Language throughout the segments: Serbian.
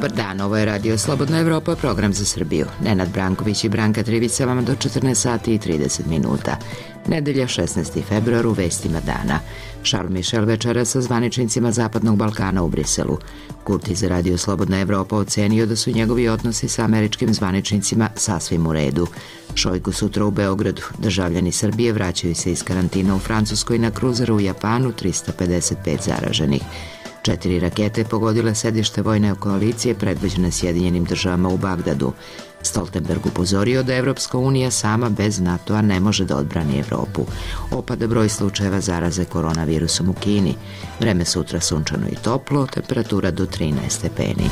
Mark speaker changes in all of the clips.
Speaker 1: Dobar dan, ovo je Radio Slobodna Evropa, program za Srbiju. Nenad Branković i Branka Trivica vama do 14 sati i 30 minuta. Nedelja 16. februar u vestima dana. Charles Michel večera sa zvaničnicima Zapadnog Balkana u Briselu. Kurti za Radio Slobodna Evropa ocenio da su njegovi odnosi sa američkim zvaničnicima sasvim u redu. Šojgu sutra u Beogradu. Državljani Srbije vraćaju se iz karantina u Francuskoj na kruzeru u Japanu, 355 zaraženih. 4 rakete pogodile sedište vojne koalicije predvođene Sjedinjenim državama u Bagdadu. Stoltenberg upozorio da Evropska unija sama bez NATO-a ne može da odbrani Evropu. Opada broj slučajeva zaraze koronavirusom u Kini. Vreme sutra sunčano i toplo, temperatura do 13 stepeni.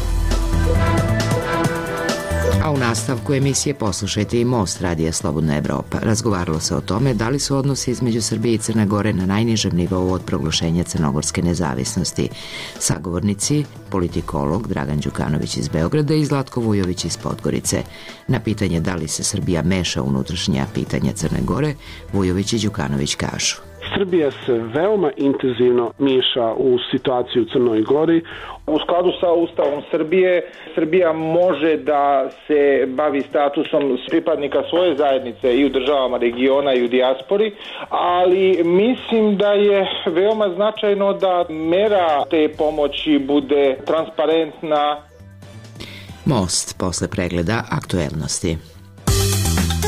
Speaker 1: A u nastavku emisije poslušajte i Most Radija Slobodna Evropa. Razgovaralo se o tome da li su odnosi između Srbije i Crne Gore na najnižem nivou od proglašenja crnogorske nezavisnosti. Sagovornici, politikolog Dragan Đukanović iz Beograda i Zlatko Vujović iz Podgorice. Na pitanje da li se Srbija meša u unutrašnja pitanja Crne Gore, Vujović i Đukanović kažu:
Speaker 2: Srbija se veoma intenzivno miješa u situaciju u Crnoj Gori.
Speaker 3: U skladu sa Ustavom Srbije, Srbija može da se bavi statusom pripadnika svoje zajednice i u državama regiona i u dijaspori, ali mislim da je veoma značajno da mera te pomoći bude transparentna.
Speaker 1: Most posle pregleda aktuelnosti.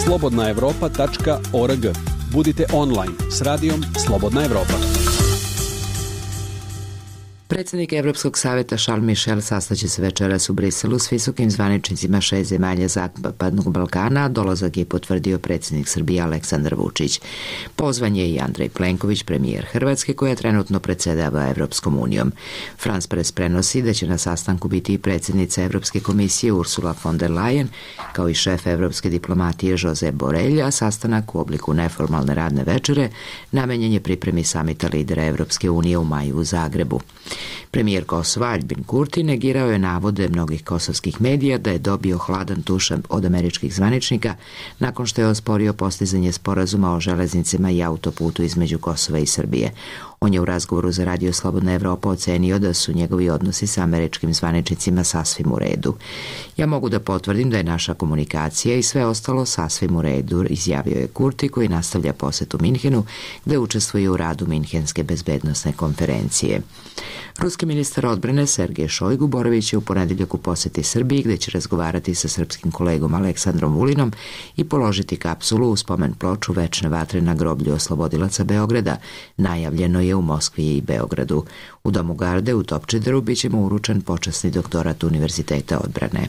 Speaker 4: slobodnaevropa.org. Budite online s radijom Slobodna Evropa.
Speaker 1: Predsjednik Evropskog savjeta Charles Michel sastaće se večeras u Briselu s visokim zvaničnicima 6 zemalja Zapadnog Balkana, a dolazak je potvrdio predsjednik Srbije Aleksandar Vučić. Pozvan je i Andrej Plenković, premijer Hrvatske, koja trenutno predsjedava Evropskom unijom. France Press prenosi da će na sastanku biti i predsjednica Evropske komisije Ursula von der Leyen, kao i šef evropske diplomatije Josep Borrell, a sastanak u obliku neformalne radne večere namenjen je pripremi samita lidera Evropske unije u maju u Zagrebu. Premijer Kosova Aljbin Kurti negirao je navode mnogih kosovskih medija da je dobio hladan tuš od američkih zvaničnika nakon što je osporio postizanje sporazuma o železnicama i autoputu između Kosova i Srbije. On je u razgovoru za Radio Slobodna Evropa ocenio da su njegovi odnosi sa američkim zvaničnicima sasvim u redu. Ja mogu da potvrdim da je naša komunikacija i sve ostalo sasvim u redu, izjavio je Kurti, koji nastavlja posetu Minhenu, gde učestvuje u radu Minhenske bezbednosne konferencije. Ruski ministar odbrane Sergej Šojgu boraviće u ponedeljak u poseti Srbiji, gde će razgovarati sa srpskim kolegom Aleksandrom Vulinom i položiti kapsulu u spomen ploču večne vatre na groblju oslobodilaca Beograda. Najavljeno je u Moskvi i Beogradu. U Domu garde u Topčideru biće mu uručen počasni doktorat Univerziteta odbrane.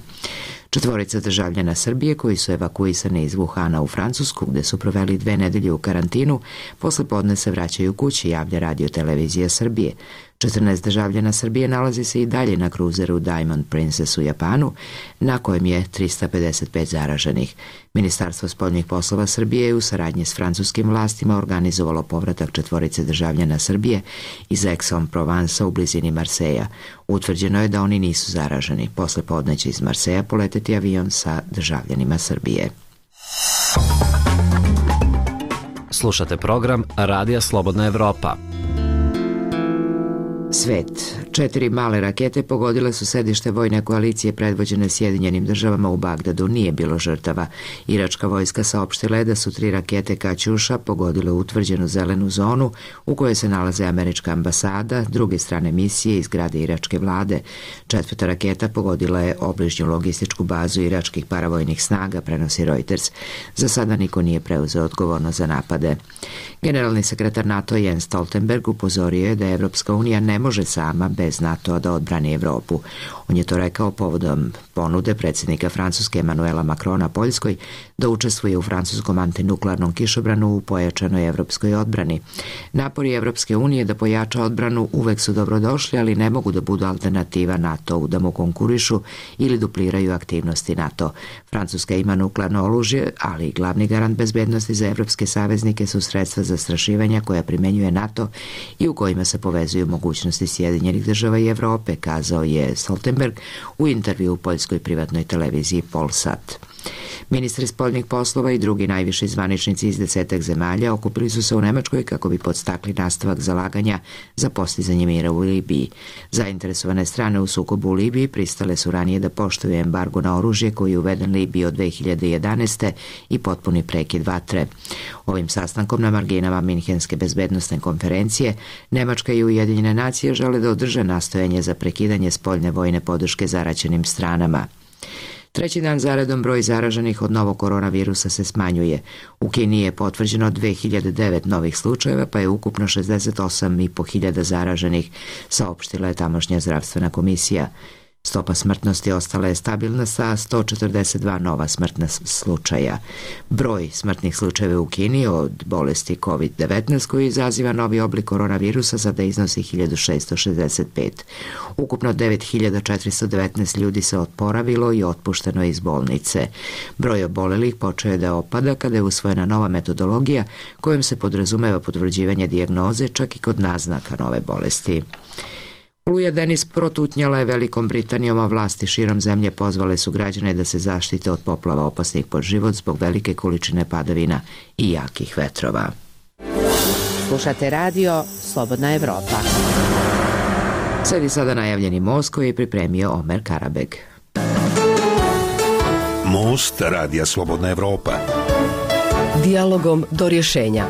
Speaker 1: 4 državljana Srbije koji su evakuisani iz Wuhana u Francusku, gde su proveli 2 nedelje u karantinu, posle podne se vraćaju kući, javlja Radio Televizija Srbije. 14 državljana Srbije nalazi se i dalje na kruzeru Diamond Princess u Japanu, na kojem je 355 zaraženih. Ministarstvo spoljnih poslova Srbije je u saradnji s francuskim vlastima organizovalo povratak 4 državljana Srbije iz Aix-en-Provence u blizini Marseja. Utvrđeno je da oni nisu zaraženi. Posle podne će iz Marseja poleteti avion sa državljanima Srbije.
Speaker 5: Slušate program Radija Slobodna Evropa.
Speaker 1: Svet. 4 male rakete pogodile su sedište vojne koalicije predvođene Sjedinjenim državama u Bagdadu. Nije bilo žrtava. Iračka vojska saopštila je da su 3 rakete Kaćuša pogodile utvrđenu zelenu zonu u kojoj se nalaze američka ambasada, druge strane misije i zgrade iračke vlade. 4. raketa pogodila je obližnju logističku bazu iračkih paravojnih snaga, prenosi Reuters. Za sada niko nije preuzeo odgovornost za napade. Generalni sekretar NATO Jens Stoltenberg upozorio je da Evropska unija ne može sama bez NATO-a da odbrani Evropu. On je to rekao povodom ponude predsjednika Francuske Emanuela Macrona Poljskoj da učestvuje u francuskom antinuklearnom kišobranu u pojačanoj evropskoj odbrani. Napori Evropske unije da pojača odbranu uvek su dobrodošli, ali ne mogu da budu alternativa NATO-u, da mu konkurišu ili dupliraju aktivnosti NATO. Francuska ima nuklearno oružje, ali i glavni garant bezbednosti za evropske saveznike su sredstva zastrašivanja koja primenjuje NATO i u kojima se povezuju mogućnosti Sjedinjenih država i Evrope, kazao je Stoltenberg u intervju u poljskoj privatnoj televiziji Polsat. Ministri spoljnih poslova i drugi najviši zvaničnici iz 10 zemalja okupili su se u Nemačkoj kako bi podstakli nastavak zalaganja za postizanje mira u Libiji. Zainteresovane strane u sukobu u Libiji pristale su ranije da poštuju embargo na oružje koji je uveden Libiji od 2011. i potpuni prekid vatre. Ovim sastankom na marginama Minhenske bezbednosne konferencije Nemačka i Ujedinjene nacije žele da održe nastojanje za prekidanje spoljne vojne podrške zaraćenim stranama. Treći dan zaredom broj zaraženih od novog koronavirusa se smanjuje. U Kini je potvrđeno 2009 novih slučajeva, pa je ukupno 68.500 zaraženih, saopštila je tamošnja zdravstvena komisija. Stopa smrtnosti ostala je stabilna sa 142 nova smrtna slučaja. Broj smrtnih slučajeva u Kini od bolesti COVID-19 koji izaziva novi oblik koronavirusa sada iznosi 1665. Ukupno 9419 ljudi se oporavilo i otpušteno iz bolnice. Broj obolelih počeo je da opada kada je usvojena nova metodologija kojom se podrazumeva potvrđivanje dijagnoze čak i kod naznaka nove bolesti. Oluja Denis protutnjala je Velikom Britanijom, a vlasti širom zemlje pozvale su građane da se zaštite od poplava opasnih po život zbog velike količine padavina i jakih vetrova.
Speaker 6: Slušate radio Slobodna Evropa.
Speaker 1: Sledi sada najavljeni most koji je pripremio Omer Karabeg.
Speaker 7: Most radija Slobodna Evropa.
Speaker 6: Dijalogom do rješenja.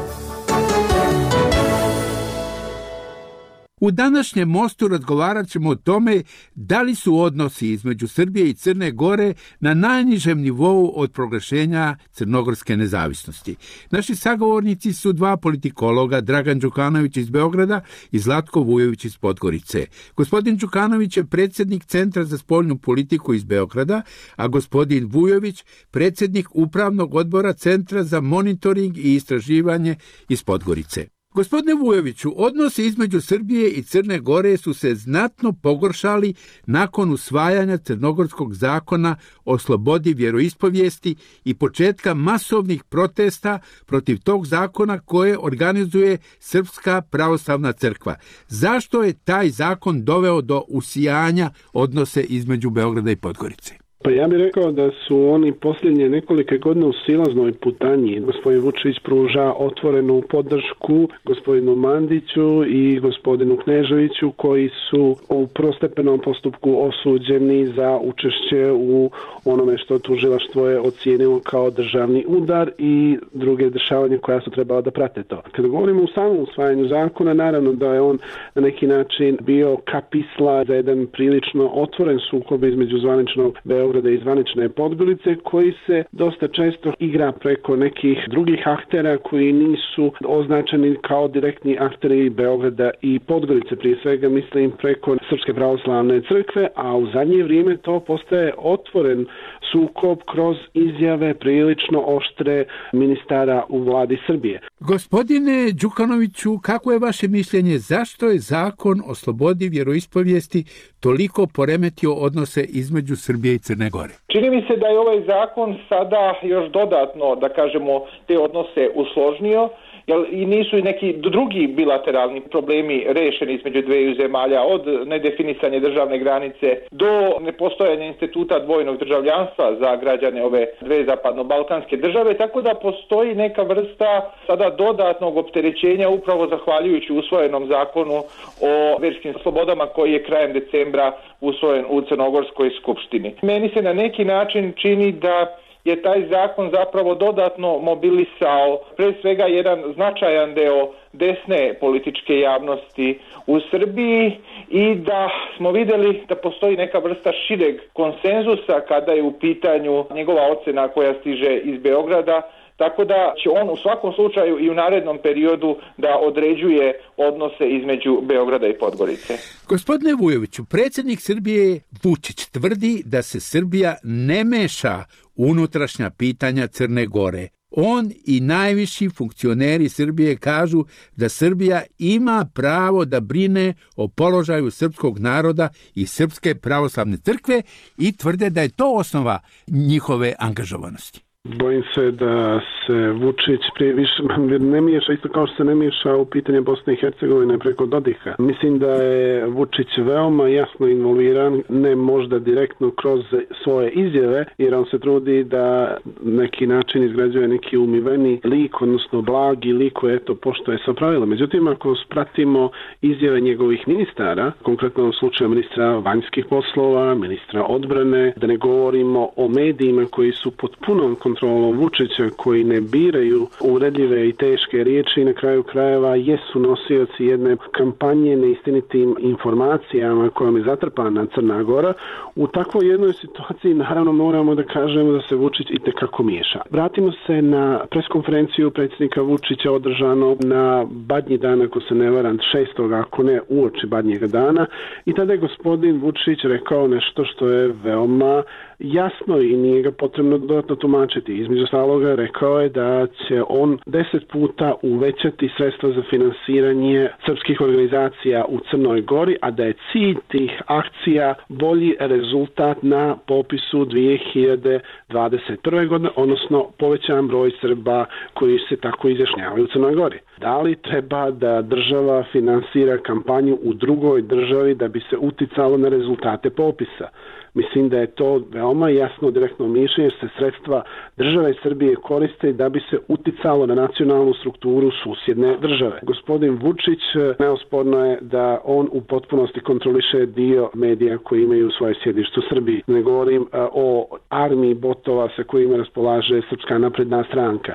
Speaker 8: U današnjem mostu razgovarat ćemo o tome da li su odnosi između Srbije i Crne Gore na najnižem nivou od proglašenja crnogorske nezavisnosti. Naši sagovornici su dva politikologa, Dragan Đukanović iz Beograda i Zlatko Vujović iz Podgorice. Gospodin Đukanović je predsjednik Centra za spoljnu politiku iz Beograda, a gospodin Vujović predsjednik Upravnog odbora Centra za monitoring i istraživanje iz Podgorice. Gospodine Vujoviću, odnosi između Srbije i Crne Gore su se znatno pogoršali nakon usvajanja Crnogorskog zakona o slobodi vjeroispovijesti i početka masovnih protesta protiv tog zakona koje organizuje Srpska pravoslavna crkva. Zašto je taj zakon doveo do usijanja odnose između Beograda i Podgorice?
Speaker 2: Pa ja bih rekao da su oni posljednje nekolike godine u silaznoj putanji. Gospodin Vučić pruža otvorenu podršku gospodinu Mandiću i gospodinu Kneževiću koji su u prvostepenom postupku osuđeni za učešće u onome što tužilaštvo je ocijenilo kao državni udar i druge dešavanja koja su trebala da prate to. Kada govorimo o samom usvajanju zakona, naravno da je on na neki način bio kapisla za jedan prilično otvoren sukob između zvaničnog Beograda i zvanične Podgorice koji se dosta često igra preko nekih drugih aktera koji nisu označeni kao direktni akteri Beograda i Podgorice. Prije svega mislim preko Srpske pravoslavne crkve, a u zadnje vrijeme to postaje otvoren sukob kroz izjave prilično oštre ministara u vladi Srbije.
Speaker 8: Gospodine Đukanoviću, kako je vaše mišljenje, zašto je zakon o slobodi vjeroispovijesti toliko poremetio odnose između Srbije i Crne Gore?
Speaker 3: Čini mi se da je ovaj zakon sada još dodatno, da kažemo, te odnose usložnio, jer i nisu i neki drugi bilateralni problemi rešeni između dveju zemalja, od nedefinisanja državne granice do nepostojanja instituta dvojnog državljanstva za građane ove dve zapadno-balkanske države, tako da postoji neka vrsta sada dodatnog opterećenja upravo zahvaljujući usvojenom zakonu o verskim slobodama koji je krajem decembra usvojen u Crnogorskoj skupštini. Meni se na neki način čini da je taj zakon zapravo dodatno mobilisao pre svega jedan značajan deo desne političke javnosti u Srbiji i da smo vidjeli da postoji neka vrsta šireg konsenzusa kada je u pitanju njegova ocena koja stiže iz Beograda, tako da će on u svakom slučaju i u narednom periodu da određuje odnose između Beograda i Podgorice.
Speaker 8: Gospodine Vujoviću, predsjednik Srbije Vučić tvrdi da se Srbija ne meša u unutrašnja pitanja Crne Gore. On i najviši funkcioneri Srbije kažu da Srbija ima pravo da brine o položaju srpskog naroda i Srpske pravoslavne crkve i tvrde da je to osnova njihove angažovanosti.
Speaker 2: Bojim se da se Vučić prije više ne miješa, isto kao što se ne miješa u pitanje Bosne i Hercegovine preko Dodika. Mislim da je Vučić veoma jasno involviran, ne možda direktno kroz svoje izjave, jer on se trudi da neki način izgrađuje neki umiveni lik, odnosno blagi lik koji poštuje sva pravila. Međutim, ako pratimo izjave njegovih ministara, konkretno u slučaju ministra vanjskih poslova, ministra odbrane, da ne govorimo o medijima koji su pod punom kontrolom Vučića, koji ne biraju uvredljive i teške riječi i na kraju krajeva jesu nosioci jedne kampanje neistinitim informacijama kojom je zatrpana Crna Gora. U takvoj jednoj situaciji naravno moramo da kažemo da se Vučić itekako miješa. Vratimo se na preskonferenciju predsjednika Vučića održano na Badnji dan, ako se ne varam, 6. ako ne uoči Badnjega dana, i tada je gospodin Vučić rekao nešto što je veoma jasno i nije ga potrebno dodatno tumačiti. Između ostaloga rekao je da će on 10 puta uvećati sredstva za finansiranje srpskih organizacija u Crnoj Gori, a da je cilj tih akcija bolji rezultat na popisu 2021. godine, odnosno povećan broj Srba koji se tako izjašnjavaju u Crnoj Gori. Da li treba da država finansira kampanju u drugoj državi da bi se uticalo na rezultate popisa? Mislim da je to veoma jasno direktno mišljenje, jer se sredstva države Srbije koriste da bi se uticalo na nacionalnu strukturu susjedne države. Gospodin Vučić, neosporno je da on u potpunosti kontroliše dio medija koji imaju svoje sjedište u Srbiji. Ne govorim o armiji botova sa kojima raspolaže Srpska napredna stranka.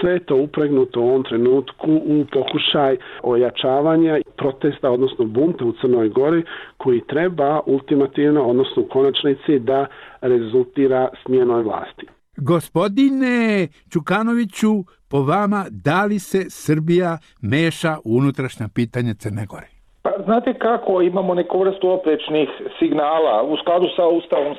Speaker 2: Sve je to upregnuto u ovom trenutku u pokušaj ojačavanja protesta, odnosno bunta u Crnoj Gori, koji treba ultimativno, odnosno u konačnici, da rezultira smjenoj vlasti.
Speaker 8: Gospodine Čukanoviću, po vama, da li se Srbija meša u unutrašnja pitanja Crne Gore?
Speaker 3: Pa, znate kako, imamo neku vrstu oprečnih signala. U skladu sa Ustavom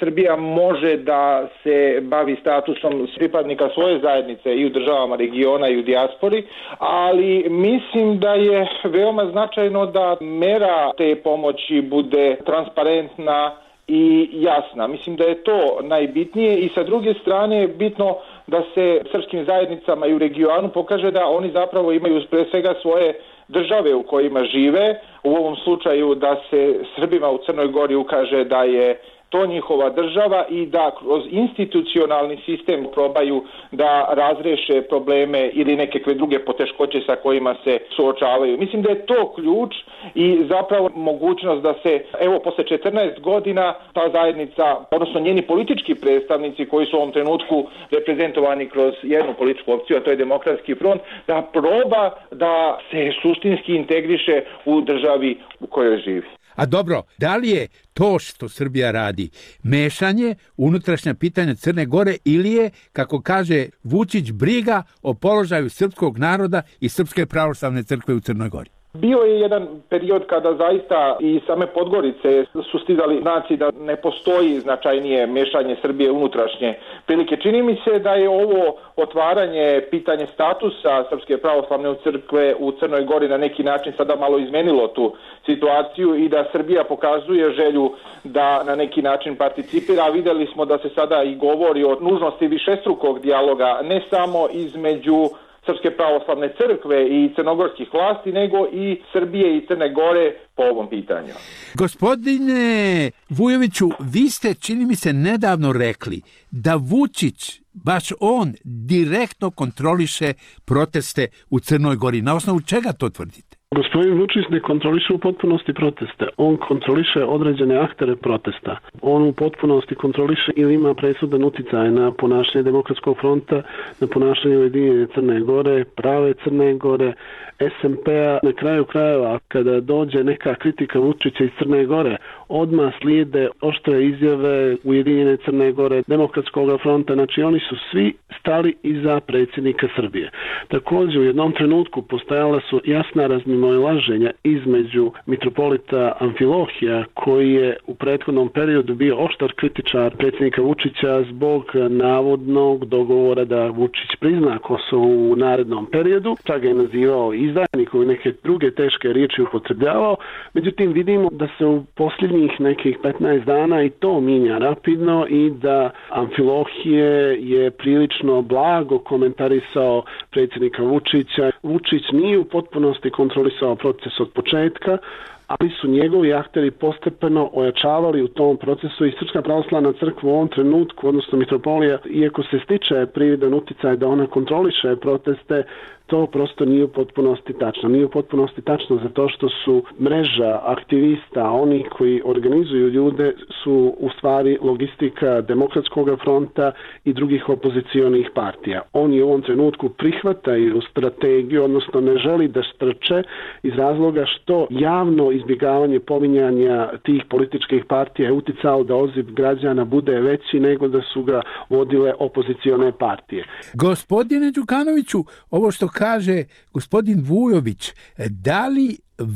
Speaker 3: Srbija može da se bavi statusom pripadnika svoje zajednice i u državama regiona i u dijaspori, ali mislim da je veoma značajno da mera te pomoći bude transparentna i jasna. Mislim da je to najbitnije i sa druge strane je bitno da se srpskim zajednicama i u regionu pokaže da oni zapravo imaju pre svega svoje države u kojima žive. U ovom slučaju da se Srbima u Crnoj Gori ukaže da je to njihova država i da kroz institucionalni sistem probaju da razreše probleme ili nekakve druge poteškoće sa kojima se suočavaju. Mislim da je to ključ i zapravo mogućnost da se, evo, posle 14 godina ta zajednica, odnosno njeni politički predstavnici koji su u ovom trenutku reprezentovani kroz jednu političku opciju, a to je Demokratski front, da proba da se suštinski integriše u državi u kojoj živi.
Speaker 8: A dobro, da li je to što Srbija radi mešanje unutrašnja pitanja Crne Gore ili je, kako kaže Vučić, briga o položaju srpskog naroda i Srpske pravoslavne crkve u Crnoj Gori?
Speaker 3: Bio je jedan period kada zaista i same Podgorice su stizali znaci da ne postoji značajnije mešanje Srbije unutrašnje prilike. Čini mi se da je ovo otvaranje pitanje statusa Srpske pravoslavne crkve u Crnoj Gori na neki način sada malo izmenilo tu situaciju i da Srbija pokazuje želju da na neki način participira. Videli smo da se sada i govori o nužnosti višestrukog dijaloga, ne samo između Srpske pravoslavne crkve i crnogorskih vlasti, nego i Srbije i Crne Gore po ovom pitanju.
Speaker 8: Gospodine Vujoviću, vi ste, čini mi se, nedavno rekli da Vučić, baš on, direktno kontroliše proteste u Crnoj Gori. Na osnovu čega to tvrdite?
Speaker 2: Gospodin Vučić ne kontroliše u potpunosti proteste. On kontroliše određene aktere protesta. On u potpunosti kontroliše ili ima presudan uticaj na ponašanje Demokratskog fronta, na ponašanje Ujedinjene Crne Gore, Prave Crne Gore, SMP-a. Na kraju krajeva, kada dođe neka kritika Vučića iz Crne Gore, odmah slijede oštre izjave Ujedinjene Crne Gore, Demokratskog fronta. Znači, oni su svi stali iza predsjednika Srbije. Također, u jednom trenutku postojala su jasna razmimoilaženja između mitropolita Amfilohija, koji je u prethodnom periodu bio oštar kritičar predsjednika Vučića zbog navodnog dogovora da Vučić prizna Kosovo u narednom periodu. Čak ga je nazivao izdajnikom i neke druge teške riječi upotrebljavao. Međutim, vidimo da se u posljednje posljednjih nekih 15 dana i to minja rapidno i da Amfilohije je prilično blago komentarisao predsjednika Vučića. Vučić nije u potpunosti kontrolisao proces od početka, ali su njegovi akteri postepeno ojačavali u tom procesu i Srpska pravoslavna crkva u ovom trenutku, odnosno mitropolija, iako se stiče prividan uticaj da ona kontroliše proteste, to prosto nije u potpunosti tačno. Nije u potpunosti tačno zato što su mreža aktivista, oni koji organizuju ljude, su u stvari logistika Demokratskog fronta i drugih opozicionih partija. Oni u ovom trenutku prihvataju strategiju, odnosno ne želi da strče iz razloga što javno izbjegavanje pominjanja tih političkih partija je uticalo da odziv građana bude veći nego da su ga vodile opozicione partije.
Speaker 8: Gospodine Đukanoviću, ovo što kaže gospodin Vujović, da li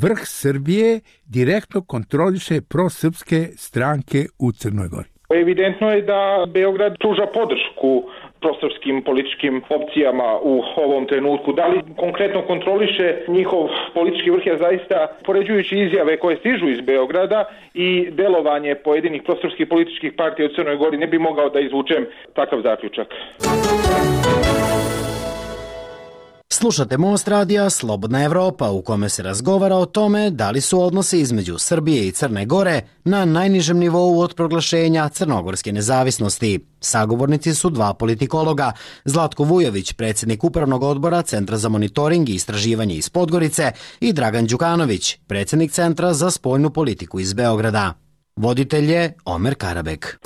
Speaker 8: vrh Srbije direktno kontroliše prosrpske stranke u Crnoj Gori?
Speaker 3: Evidentno je da Beograd pruža podršku prosrpskim političkim opcijama u ovom trenutku. Da li konkretno kontroliše njihov politički vrh, ja zaista, poređujući izjave koje stižu iz Beograda i delovanje pojedinih prosrpskih političkih partija u Crnoj Gori, ne bi mogao da izvučem takav zaključak.
Speaker 9: Slušate Most radija Slobodna Evropa, u kome se razgovara o tome da li su odnosi između Srbije i Crne Gore na najnižem nivou od proglašenja crnogorske nezavisnosti. Sagovornici su dva politikologa, Zlatko Vujović, predsjednik Upravnog odbora Centra za monitoring i istraživanje iz Podgorice, i Dragan Đukanović, predsjednik Centra za spoljnu politiku iz Beograda. Voditelj je Omer Karabek.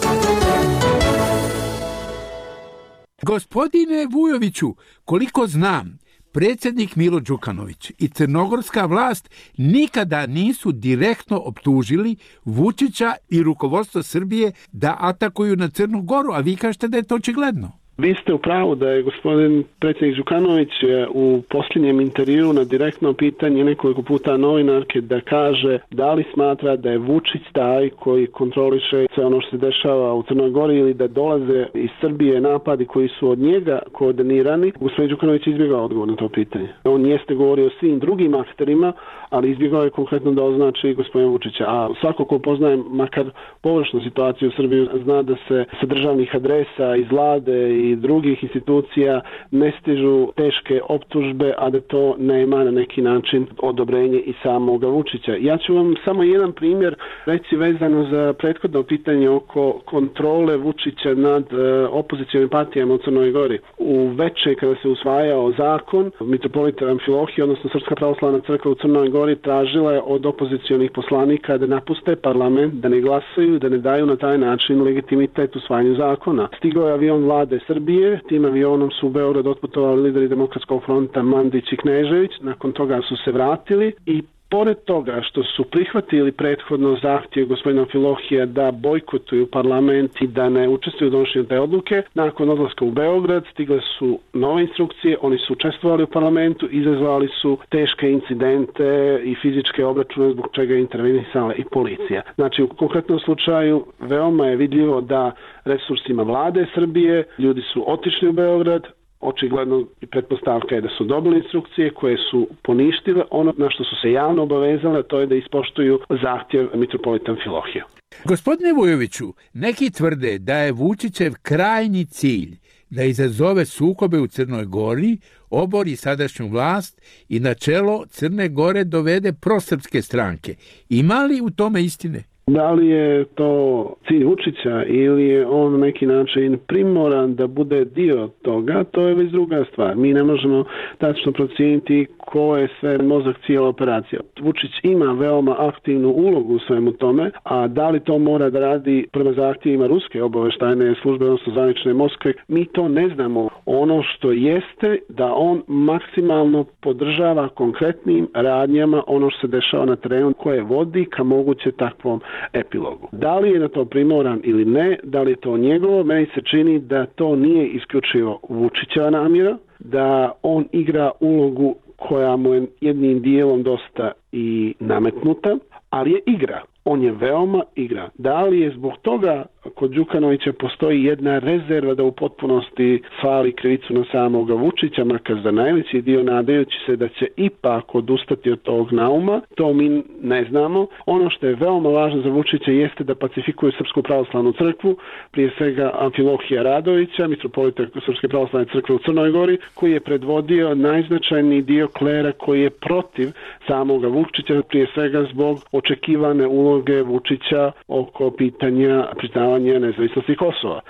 Speaker 8: Gospodine Vujoviću, koliko znam, predsjednik Milo Đukanović i crnogorska vlast nikada nisu direktno optužili Vučića i rukovodstvo Srbije da atakuju na Crnu Goru, a vi kažete da je to očigledno.
Speaker 2: Vi ste u pravu da je gospodin predsjednik Đukanović u posljednjem intervjuu na direktno pitanje nekoliko puta novinarke da kaže da li smatra da je Vučić taj koji kontroliše sve ono što se dešava u Crnoj Gori ili da dolaze iz Srbije napadi koji su od njega koordinirani. Gospodin Đukanović izbjegao odgovor na to pitanje. On jeste govorio o svim drugim akterima, ali izbjegao je konkretno da označi gospodina Vučića. A svako ko poznaje makar površnu situaciju u Srbiji zna da se sa državnih adresa iz vlade i drugih institucija ne stižu teške optužbe, a da to nema na neki način odobrenje i samoga Vučića. Ja ću vam samo jedan primjer reći vezano za prethodno pitanje oko kontrole Vučića nad opozicionim partijama u Crnoj Gori. U veče kada se usvajao zakon, mitropolita Amfilohije, odnosno Srpska pravoslavna crkva u Crnoj Gori, tražila je od opozicionih poslanika da napuste parlament, da ne glasaju, da ne daju na taj način legitimitet usvajanju zakona. Stigao je avion vlade Srbije, tim avionom su u Beograd otputovali lideri Demokratskog fronta Mandić i Knežević, nakon toga su se vratili i pored toga što su prihvatili prethodno zahtjev gospodina Amfilohija da bojkotuju parlament i da ne učestvuju u donošenju te odluke, nakon odlaska u Beograd stigle su nove instrukcije, oni su učestvovali u parlamentu, izazvali su teške incidente i fizičke obračune zbog čega je intervenisala i policija. Znači u konkretnom slučaju veoma je vidljivo da resursima vlade Srbije ljudi su otišli u Beograd, očigledno i pretpostavka je da su dobili instrukcije koje su poništile ono na što su se javno obavezale, to je da ispoštuju zahtjev mitropolita Amfilohija.
Speaker 8: Gospodine Vujoviću, neki tvrde da je Vučićev krajnji cilj da izazove sukobe u Crnoj Gori, obori sadašnju vlast i na čelo Crne Gore dovede prosrpske stranke. Ima li u tome istine?
Speaker 2: Da li je to cilj Vučića ili je on na neki način primoran da bude dio toga, to je već druga stvar. Mi ne možemo tačno procijeniti ko je sve mozak cijela operacija. Vučić ima veoma aktivnu ulogu u svemu tome, a da li to mora da radi prema zahtjevima ruske obavještajne službe, odnosno zvanične Moskve, mi to ne znamo. Ono što jeste da on maksimalno podržava konkretnim radnjama ono što se dešava na terenu koje vodi ka moguće takvom epilogu. Da li je na to primoran ili ne, da li je to njegovo, meni se čini da to nije isključivo Vučićeva namjera, da on igra ulogu koja mu je jednim dijelom dosta i nametnuta, ali je igra. On je veoma igra. Da li je zbog toga kod Đukanovića postoji jedna rezerva da u potpunosti svali krivicu na samoga Vučića, makar za najveći dio, nadajući se da će ipak odustati od tog nauma. To mi ne znamo. Ono što je veoma važno za Vučića jeste da pacifikuje Srpsku pravoslavnu crkvu, prije svega Amfilohija Radovića, mitropolita Srpske pravoslavne crkve u Crnoj Gori, koji je predvodio najznačajniji dio klera koji je protiv samoga Vučića, prije svega zbog očekivane uloge Vučića oko pitanja priznavanja nezavisnosti Kosova.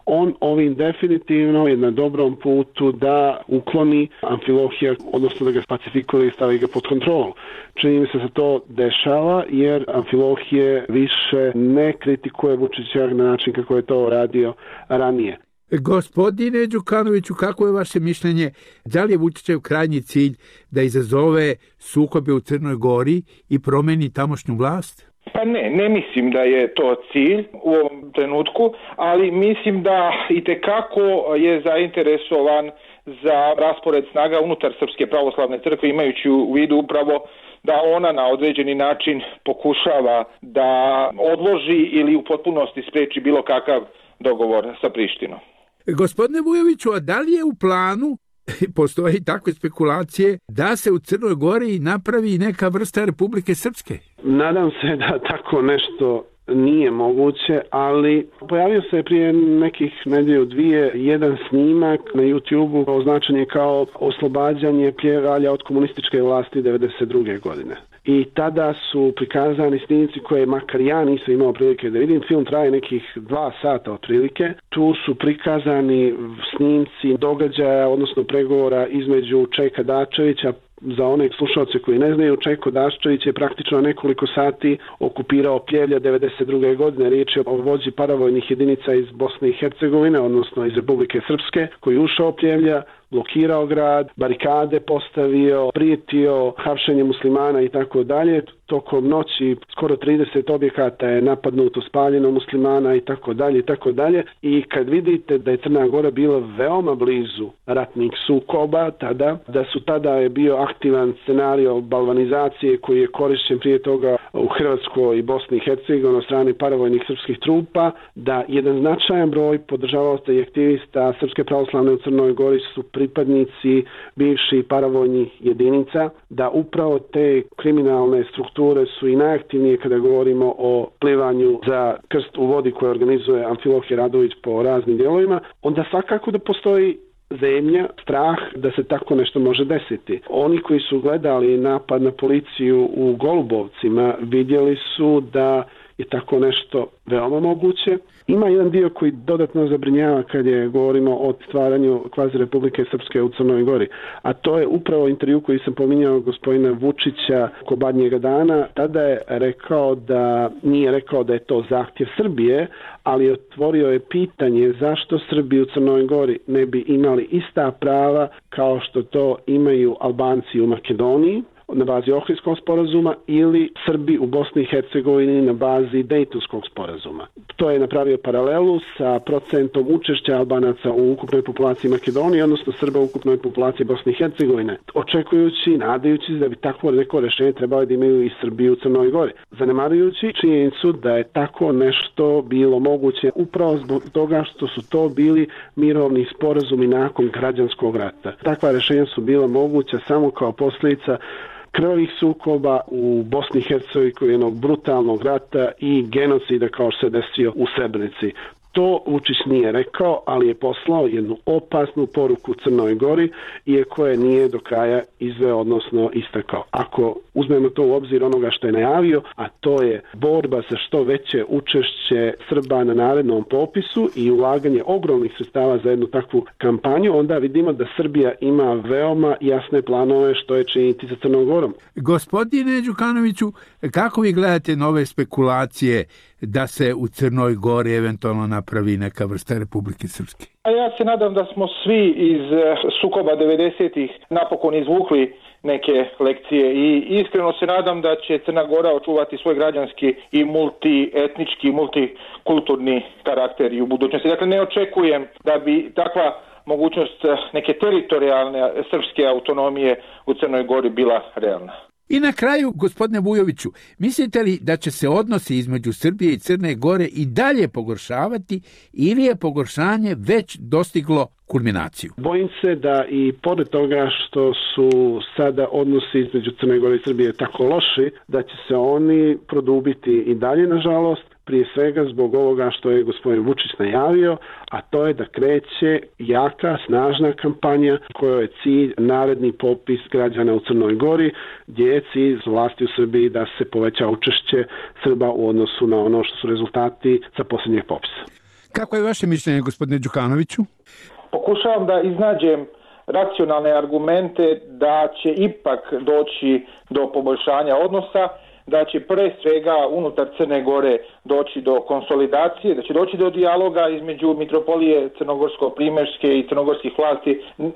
Speaker 2: On ovim definitivno je na dobrom putu da ukloni Amfilohija, odnosno da ga pacifikuje i stavi ga pod kontrolu. Čini mi se da se to dešava jer Amfilohije više ne kritikuje Vučića na način kako je to radio ranije.
Speaker 8: Gospodine Đukanoviću, kako je vaše mišljenje? Da li je Vučićev krajnji cilj da izazove sukobe u Crnoj Gori i promeni tamošnju vlast?
Speaker 3: Pa ne mislim da je to cilj u ovom trenutku, ali mislim da itekako je zainteresovan za raspored snaga unutar Srpske pravoslavne crkve, imajući u vidu upravo da ona na određeni način pokušava da odloži ili u potpunosti spreči bilo kakav dogovor sa Prištinom.
Speaker 8: Gospodine Vujoviću, a da li je u planu, postoje takve spekulacije, da se u Crnoj Gori napravi neka vrsta Republike Srpske?
Speaker 2: Nadam se da tako nešto nije moguće, ali pojavio se prije nekih nedelju dvije jedan snimak na YouTube-u označen je kao oslobađanje Pljevalja od komunističke vlasti 1992. godine. I tada su prikazani snimci koje makar ja nisam imao prilike da vidim. Film traje nekih 2 sata otprilike. Tu su prikazani snimci događaja, odnosno pregovora između Čeka Dačevića. Za one slušalce koji ne znaju, Čeko Daščević je praktično nekoliko sati okupirao Pljevlja 1992. godine. Riječ je o vođi paravojnih jedinica iz Bosne i Hercegovine, odnosno iz Republike Srpske, koji je ušao Pljevlja, blokirao grad, barikade postavio, prijetio hapšenje muslimana i tako dalje. Tokom noći skoro 30 objekata je napadnuto, spaljeno muslimana i tako dalje i tako dalje. I kad vidite da je Crna Gora bila veoma blizu ratnih sukoba tada, da su tada je bio aktivan scenario balvanizacije koji je korišćen prije toga u Hrvatskoj i Bosni i Hercegovini od strane paravojnih srpskih trupa, da jedan značajan broj podržavaoca i aktivista Srpske pravoslavne u Crnoj Gori su pripadnici bivših paravojnih jedinica, da upravo te kriminalne strukture su i najaktivnije kada govorimo o plivanju za krst u vodi koje organizuje Amfilohije Radović po raznim dijelovima, onda svakako da postoji zemlja, strah da se tako nešto može desiti. Oni koji su gledali napad na policiju u Golubovcima vidjeli su da je tako nešto veoma moguće. Ima jedan dio koji dodatno zabrinjava kad je govorimo o stvaranju kvazi Republike Srpske u Crnoj Gori, a to je upravo intervju koji sam pominjao gospodina Vučića oko Badnjega dana. Tada je rekao da, nije rekao da je to zahtjev Srbije, ali otvorio je pitanje zašto Srbi u Crnoj Gori ne bi imali ista prava kao što to imaju Albanci u Makedoniji na bazi Ohridskog sporazuma ili Srbi u Bosni i Hercegovini na bazi Dejtonskog sporazuma. To je napravio paralelu sa procentom učešća Albanaca u ukupnoj populaciji Makedonije, odnosno Srba u ukupnoj populaciji Bosne i Hercegovine, očekujući, nadajući da bi takvo neko rešenje trebalo da imaju i Srbi u Crnoj Gori, zanemarujući činjenicu da je tako nešto bilo moguće upravo zbog toga što su to bili mirovni sporazumi nakon građanskog rata. Takva rešenja su bila moguća samo kao posljedica krvavih sukoba u Bosni i Hercegovini, jednog brutalnog rata i genocida kao što se desio u Srebrenici. To Vučić nije rekao, ali je poslao jednu opasnu poruku Crnoj Gori, iako je nije do kraja izveo, odnosno istakao. Ako uzmemo to u obzir onoga što je najavio, a to je borba za što veće učešće Srba na narednom popisu i ulaganje ogromnih sredstava za jednu takvu kampanju, onda vidimo da Srbija ima veoma jasne planove što je činiti sa Crnom Gorom.
Speaker 8: Gospodine Đukanoviću, kako vi gledate nove spekulacije da se u Crnoj Gori eventualno napravi neka vrsta Republike Srpske?
Speaker 3: A ja se nadam da smo svi iz sukoba 90-ih napokon izvukli neke lekcije i iskreno se nadam da će Crna Gora očuvati svoj građanski i multietnički, multikulturni karakter i u budućnosti. Dakle, ne očekujem da bi takva mogućnost neke teritorijalne srpske autonomije u Crnoj Gori bila realna.
Speaker 8: I na kraju, gospodine Vujoviću, mislite li da će se odnosi između Srbije i Crne Gore i dalje pogoršavati ili je pogoršanje već dostiglo kulminaciju?
Speaker 2: Bojim se da i pored toga što su sada odnosi između Crne Gore i Srbije tako loši, da će se oni produbiti i dalje, nažalost, prije svega zbog ovoga što je gospodin Vučić najavio, a to je da kreće jaka, snažna kampanja kojoj je cilj naredni popis građana u Crnoj Gori, gdje je cilj vlasti u Srbiji da se poveća učešće Srba u odnosu na ono što su rezultati sa posljednjeg popisa.
Speaker 8: Kako je vaše mišljenje, gospodine Đukanoviću?
Speaker 3: Pokušavam da iznađem racionalne argumente da će ipak doći do poboljšanja odnosa, da će pre svega unutar Crne Gore doći do konsolidacije, da će doći do dijaloga između mitropolije crnogorsko-primorske i crnogorskih vlasti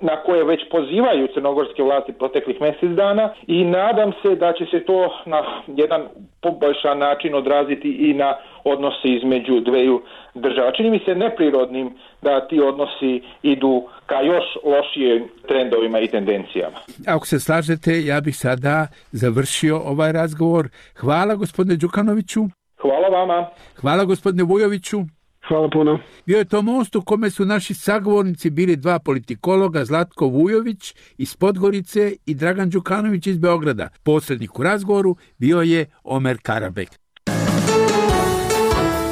Speaker 3: na koje već pozivaju crnogorske vlasti proteklih mjesec dana i nadam se da će se to na jedan poboljšan način odraziti i na odnose između dveju država. Čini mi se neprirodnim da ti odnosi idu ka još lošijim trendovima i tendencijama.
Speaker 8: Ako se slažete, ja bih sada završio ovaj razgovor. Hvala gospodine Đukanoviću.
Speaker 3: Hvala vama.
Speaker 8: Hvala gospodine Vujoviću.
Speaker 2: Hvala puno.
Speaker 8: Bio je to most u kome su naši sagovornici bili dva politikologa, Zlatko Vujović iz Podgorice i Dragan Đukanović iz Beograda. Posrednik u razgovoru bio je Omer Karabek.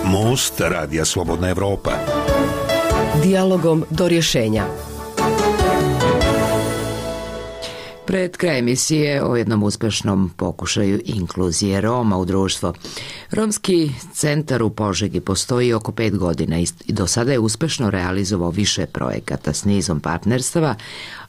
Speaker 7: Most Radija Slobodna Evropa.
Speaker 6: Dijalogom do rješenja.
Speaker 1: Pred kraj emisije o jednom uspešnom pokušaju inkluzije Roma u društvo. Romski centar u Požegi postoji oko 5 godina i do sada je uspešno realizovao više projekata s nizom partnerstava,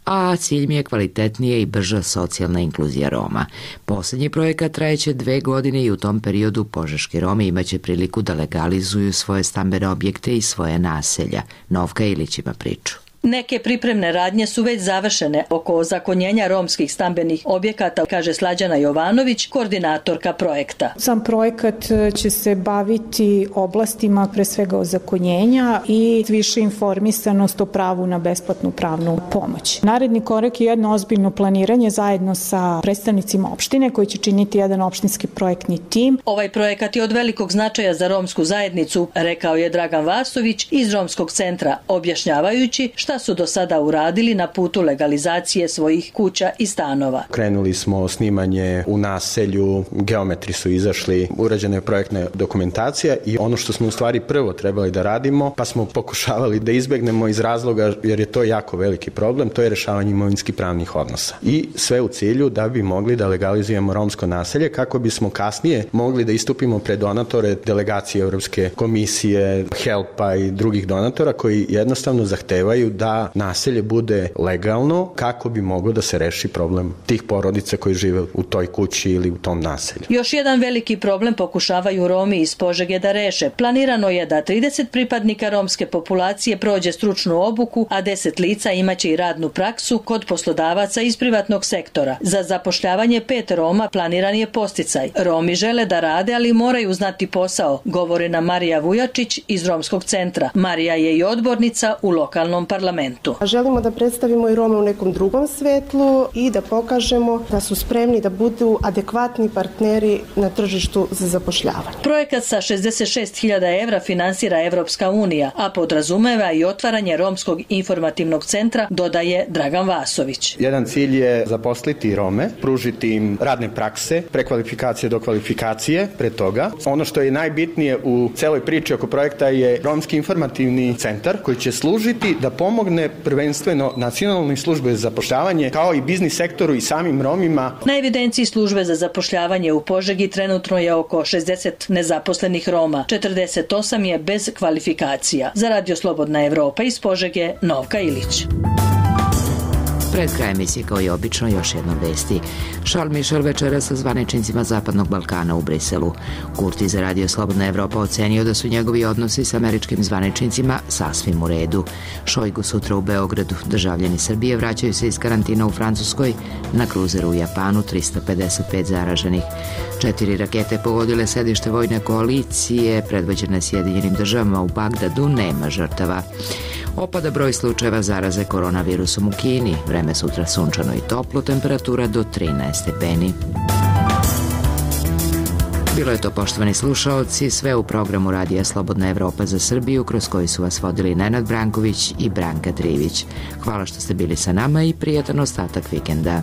Speaker 1: a cilj mi je kvalitetnija i brža socijalna inkluzija Roma. Posljednji projekat trajeće 2 godine i u tom periodu požeški Romi imaće priliku da legalizuju svoje stambene objekte i svoje naselja. Novka Ilić ima priču.
Speaker 10: Neke pripremne radnje su već završene oko ozakonjenja romskih stambenih objekata, kaže Slađana Jovanović, koordinatorka projekta.
Speaker 11: Sam projekat će se baviti oblastima pre svega ozakonjenja i više informisanost o pravu na besplatnu pravnu pomoć. Naredni korak je jedno ozbiljno planiranje zajedno sa predstavnicima opštine koji će činiti jedan opštinski projektni tim.
Speaker 10: Ovaj projekat je od velikog značaja za romsku zajednicu, rekao je Dragan Vasović iz Romskog centra, objašnjavajući šta su do sada uradili na putu legalizacije svojih kuća i stanova.
Speaker 12: Krenuli smo snimanje u naselju, geometri su izašli, urađena je projektna dokumentacija i ono što smo u stvari prvo trebali da radimo, pa smo pokušavali da izbegnemo iz razloga, jer je to jako veliki problem, to je rešavanje imovinskih pravnih odnosa. I sve u cilju da bi mogli da legalizujemo romsko naselje, kako bismo kasnije mogli da istupimo pred donatore, delegacije Evropske komisije, HELP-a i drugih donatora koji jednostavno zahtevaju da naselje bude legalno kako bi moglo da se reši problem tih porodica koji žive u toj kući ili u tom naselju.
Speaker 10: Još jedan veliki problem pokušavaju Romi iz Požege da reše. Planirano je da 30 pripadnika romske populacije prođe stručnu obuku, a 10 lica imaće i radnu praksu kod poslodavaca iz privatnog sektora. Za zapošljavanje 5 Roma planiran je podsticaj. Romi žele da rade, ali moraju znati posao, govori nam Marija Vujačić iz Romskog centra. Marija je i odbornica u lokalnom parlamentu.
Speaker 13: Želimo da predstavimo i Rome u nekom drugom svetlu i da pokažemo da su spremni da budu adekvatni partneri na tržištu za zapošljavanje.
Speaker 10: Projekat sa 66.000 evra finansira Evropska unija, a podrazumeva i otvaranje Romskog informativnog centra, dodaje Dragan Vasović.
Speaker 12: Jedan cilj je zaposliti Rome, pružiti im radne prakse, prekvalifikacije do kvalifikacije pre toga. Ono što je najbitnije u celoj priči oko projekta je Romski informativni centar koji će služiti da pomogne prvenstveno nacionalnoj službe za zapošljavanje kao i biznis sektoru i samim Romima.
Speaker 10: Na evidenciji službe za zapošljavanje u Požegi trenutno je oko 60 nezaposlenih Roma, 48 je bez kvalifikacija. Za Radio Slobodna Evropa iz Požege, Novka Ilić.
Speaker 1: Pred krajem emisije, kao i obično, još jedno vesti. Charles Michel večera sa zvaničnicima Zapadnog Balkana u Briselu. Kurti za Radio Slobodna Evropa ocenio da su njegovi odnosi sa američkim zvaničnicima sasvim u redu. Šojgu sutra u Beogradu. Državljani Srbije vraćaju se iz karantina u Francuskoj. Na kruzeru u Japanu 355 zaraženih. 4 rakete pogodile sedište vojne koalicije predvođene Sjedinjenim državama u Bagdadu, nema žrtava. Opada broj slučajeva zaraze koronavirusom u Kini. Vreme sutra sunčano i toplo, temperatura do 13 stepeni. Bilo je to, poštovani slušaoci, sve u programu Radija Slobodna Evropa za Srbiju, kroz koji su vas vodili Nenad Branković i Branka Trivić. Hvala što ste bili sa nama i prijatan ostatak vikenda.